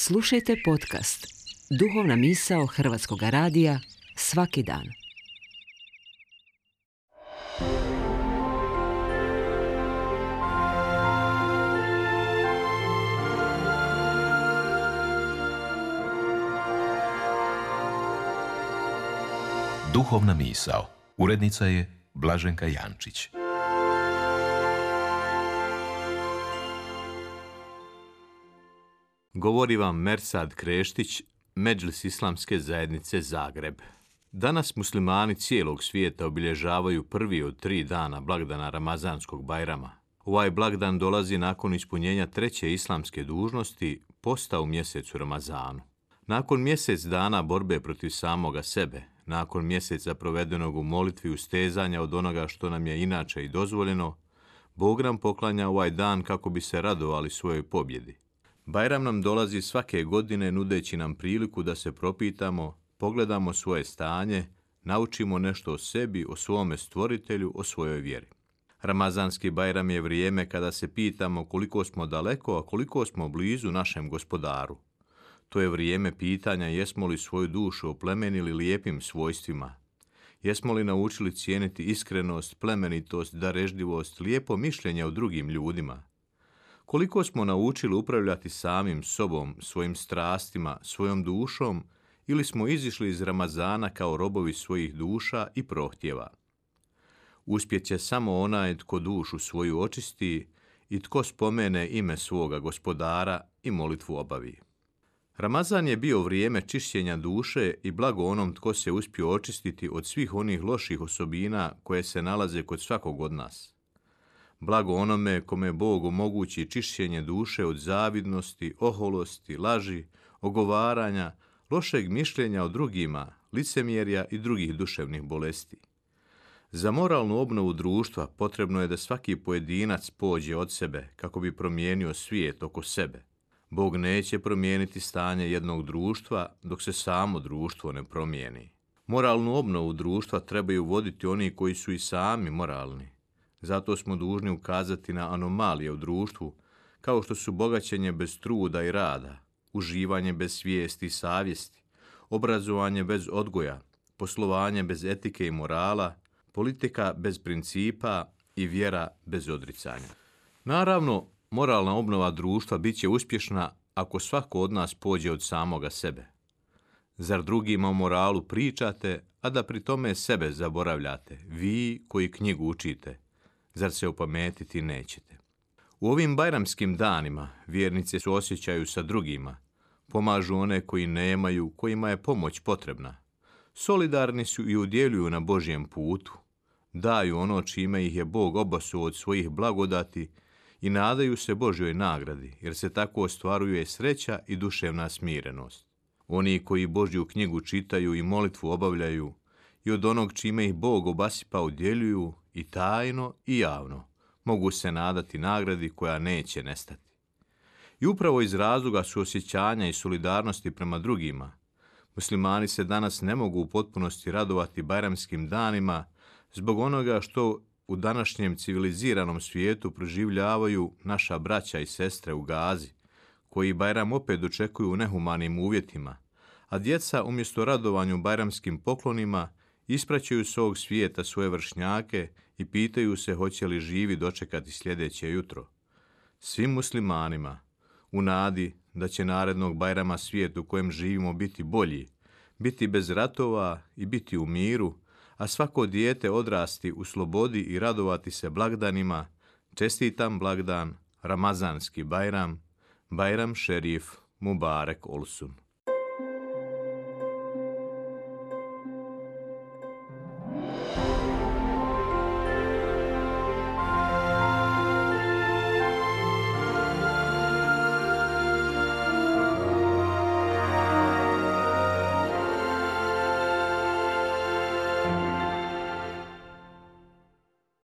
Slušajte podcast Duhovna misao Hrvatskog radija svaki dan. Duhovna misao. Urednica je Blaženka Jančić. Govori vam Mersad Kreštić, Medžlis Islamske zajednice Zagreb. Danas muslimani cijelog svijeta obilježavaju prvi od 3 dana blagdana Ramazanskog Bajrama. Ovaj blagdan dolazi nakon ispunjenja 3. islamske dužnosti, posta u mjesecu Ramazanu. Nakon mjesec dana borbe protiv samoga sebe, nakon mjeseca provedenog u molitvi ustezanja od onoga što nam je inače i dozvoljeno, Bog nam poklanja ovaj dan kako bi se radovali svojoj pobjedi. Bajram nam dolazi svake godine nudeći nam priliku da se propitamo, pogledamo svoje stanje, naučimo nešto o sebi, o svome stvoritelju, o svojoj vjeri. Ramazanski Bajram je vrijeme kada se pitamo koliko smo daleko, a koliko smo blizu našem gospodaru. To je vrijeme pitanja jesmo li svoju dušu oplemenili lijepim svojstvima. Jesmo li naučili cijeniti iskrenost, plemenitost, darežljivost, lijepo mišljenje o drugim ljudima. Koliko smo naučili upravljati samim sobom, svojim strastima, svojom dušom, ili smo izišli iz Ramazana kao robovi svojih duša i prohtjeva. Uspjet će samo onaj tko dušu svoju očisti i tko spomene ime svoga gospodara i molitvu obavi. Ramazan je bio vrijeme čišćenja duše i blago onom tko se uspio očistiti od svih onih loših osobina koje se nalaze kod svakog od nas. Blago onome kome Bog omogući čišćenje duše od zavidnosti, oholosti, laži, ogovaranja, lošeg mišljenja o drugima, licemjerja i drugih duševnih bolesti. Za moralnu obnovu društva potrebno je da svaki pojedinac pođe od sebe kako bi promijenio svijet oko sebe. Bog neće promijeniti stanje jednog društva dok se samo društvo ne promijeni. Moralnu obnovu društva trebaju voditi oni koji su i sami moralni. Zato smo dužni ukazati na anomalije u društvu, kao što su bogaćenje bez truda i rada, uživanje bez svijesti i savjesti, obrazovanje bez odgoja, poslovanje bez etike i morala, politika bez principa i vjera bez odricanja. Naravno, moralna obnova društva bit će uspješna ako svako od nas pođe od samoga sebe. Zar drugima o moralu pričate, a da pri tome sebe zaboravljate, vi koji knjigu učite? Zar se opametiti nećete? U ovim bajramskim danima vjernice suosjećaju sa drugima, pomažu one koji nemaju, kojima je pomoć potrebna. Solidarni su i udjeljuju na Božjem putu, daju ono čime ih je Bog obasuo od svojih blagodati i nadaju se Božjoj nagradi, jer se tako ostvaruje sreća i duševna smirenost. Oni koji Božju knjigu čitaju i molitvu obavljaju i od onog čime ih Bog obasipa udjeljuju i tajno i javno, mogu se nadati nagradi koja neće nestati. I upravo iz razloga suosjećanja i solidarnosti prema drugima, muslimani se danas ne mogu u potpunosti radovati bajramskim danima zbog onoga što u današnjem civiliziranom svijetu proživljavaju naša braća i sestre u Gazi, koji Bajram opet dočekuju u nehumanim uvjetima, a djeca umjesto radovanju bajramskim poklonima ispraćaju s ovog svijeta svoje vršnjake i pitaju se hoće li živi dočekati sljedeće jutro. Svim muslimanima, u nadi da će narednog Bajrama svijet u kojem živimo biti bolji, biti bez ratova i biti u miru, a svako dijete odrasti u slobodi i radovati se blagdanima, čestitam blagdan Ramazanski Bajram, Bajram Šerif Mubarek Olsun.